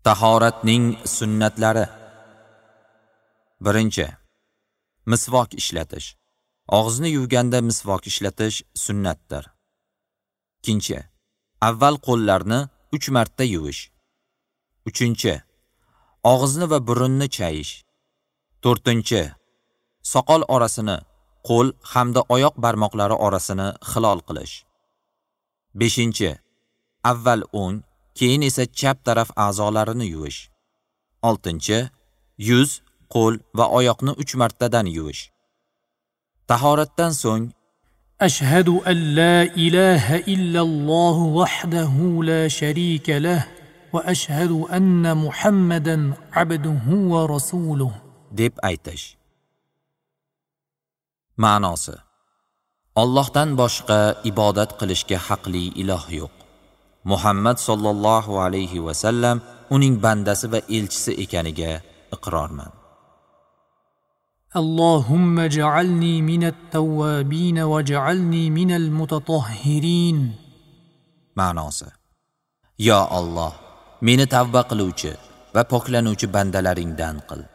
Tahoratning sunnatlari. Birinchi, misvok ishlatish. Og'izni yuvganda misvok ishlatish sunnatdir. Ikkinchi, avval qo'llarni 3 marta yuvish. Uchinchi, og'izni va burunni chayish. To'rtinchi, soqol orasini, qo'l hamda oyoq barmoqlari orasini xilol qilish. Beshinchi, avval o'ng, keyin esa chap taraf a'zolarini yuvish. Oltinchi, yuz, qo'l va oyoqni 3 martadan yuvish. Tahoratdan so'ng أشهد أن لا إله إلا الله وحده لا شريك له وأشهد أن محمدا عبده ورسوله deb aytish. Ma'nosi: Allohdan boshqa ibodat qilishga haqli iloh yo'q. Muhammad sallallohu alayhi va sallam uning bandasi va elchisi ekaniga iqrorman. اللهم اجعلني من التوابين واجعلني من المتطهرين. Ma'nosi: Yo Alloh, meni tavba qiluvchi va poklanuvchi bandalaringdan qil.